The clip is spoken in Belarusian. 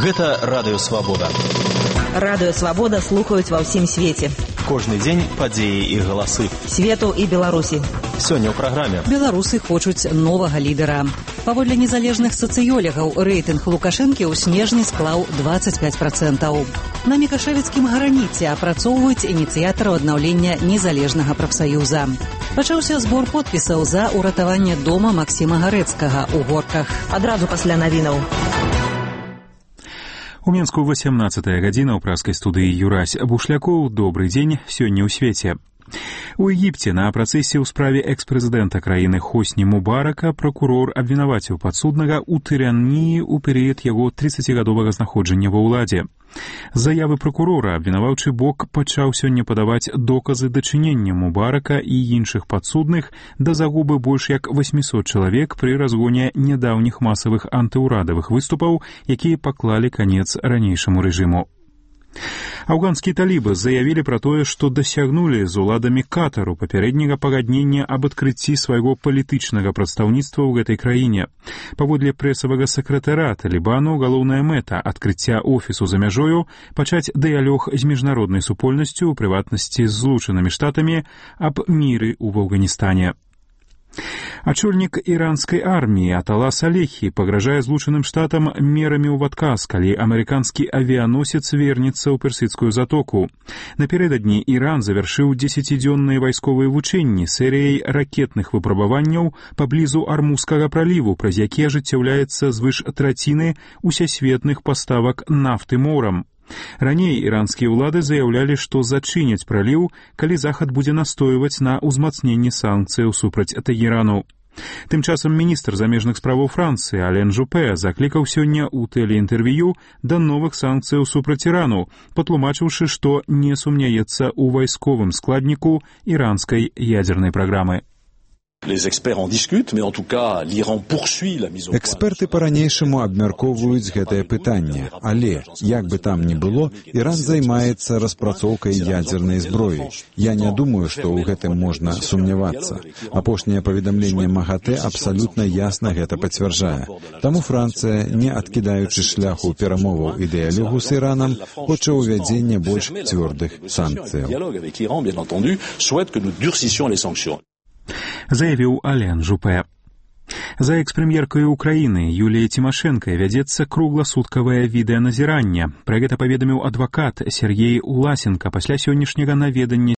Гэта Радыё Свабода. Радыё Свабода слухаюць ва ўсім свеце. Кожны дзень падзеі і галасы. Свету і Беларусі. Сёння ў праграме. Беларусы хочуць новага лідара. Паводле незалежных сацыёлегаў, рэйтынг Лукашэнкі ў снежні склаў 25%. На Мікашэвіцкім граніце апрацоўваюць ініцыятараў аднаўлення незалежнага прафсаюза. Пачаўся збор подпісаў за ўратаванне дома Максіма Гарэцкага ў Горках. Адразу пасля навінаў. У Мінску 18-я гадзіна ў праскай студыі Юрась Бушлякоў. Добрый дзень, сёння ў свеце. У Егіпце на працэсе ў справе экс-прэзідэнта краіны Хосні Мубарака пракурор абвінаваціў падсуднага ў тыранніі ў перыяд яго 30гадовага знаходжання ва ўладзе. З заявы пракурора абвінаваўчы бок пачаў сёння падаваць доказы дачынення Мубарака і іншых падсудных да загубы больш як 800 чалавек пры разгоне нядаўніх масавых антыўрадавых выступаў, якія паклалі канец ранейшаму рэжыму. Афганскія талібы заявілі пра тое, што дасягнулі з уладамі Катару папярэдняга пагаднення аб адкрыцці свайго палітычнага прадстаўніцтва ў гэтай краіне. Паводле прэсавага сакратара Талібану галоўная мэта адкрыцця офісу за мяжою пачаць дыялог з міжнароднай супольнасцю, у прыватнасці з Злучанымі Штатамі, аб міры ў Афганістане. Ачольнік іранскай арміі Атала Салехі пагражае Злучаным Штатам мерамі ў адказ, калі амерыканскі авіяносец вернецца ў Персідскую затоку. Напярэдадні Іран завяршыў 10-дзённыя вайсковыя вучэнні серыяй ракетных выпрабаванняў паблізу Армузскага праліву, праз які ажыццяўляецца звыш траціны усесветных паставак нафты морам. Раней іранскія ўлады заяўлялі, што зачыняць праліў, калі Захад будзе настойваць на ўзмацненні санкцыяў супраць Тэгерану. Тым часам міністр замежных справаў Францыі Ален Жупе заклікаў сёння ў тэлеінтэрв'ю да новых санкцыяў супраць Ірану, патлумачыўшы, што не сумняецца ў вайсковым складніку іранскай ядзернай праграмы. Эксперты па-ранейшаму абмяркоўваюць гэтае пытанне, але, як бы там ні было, Іран займаецца распрацоўкай ядзернай зброі. Я не думаю, што ў гэтым можна сумнявацца. Апошняе паведамленне МАГАТЭ абсалютна ясна гэта пацвярджае. Таму Францыя, не адкідаючы шляху перамоваў і дыялогу з Іранам, хоча ўвядзення больш цвёрдых санкцыяў. Заявіў Ален Жупе. За экс-прэм'еркай Украіны Юліяй Цімашэнкай вядзецца кругласуткавае відэаназіранне. Пра гэта паведаміў адвакат Сергей Уласенка пасля сённяшняга наведання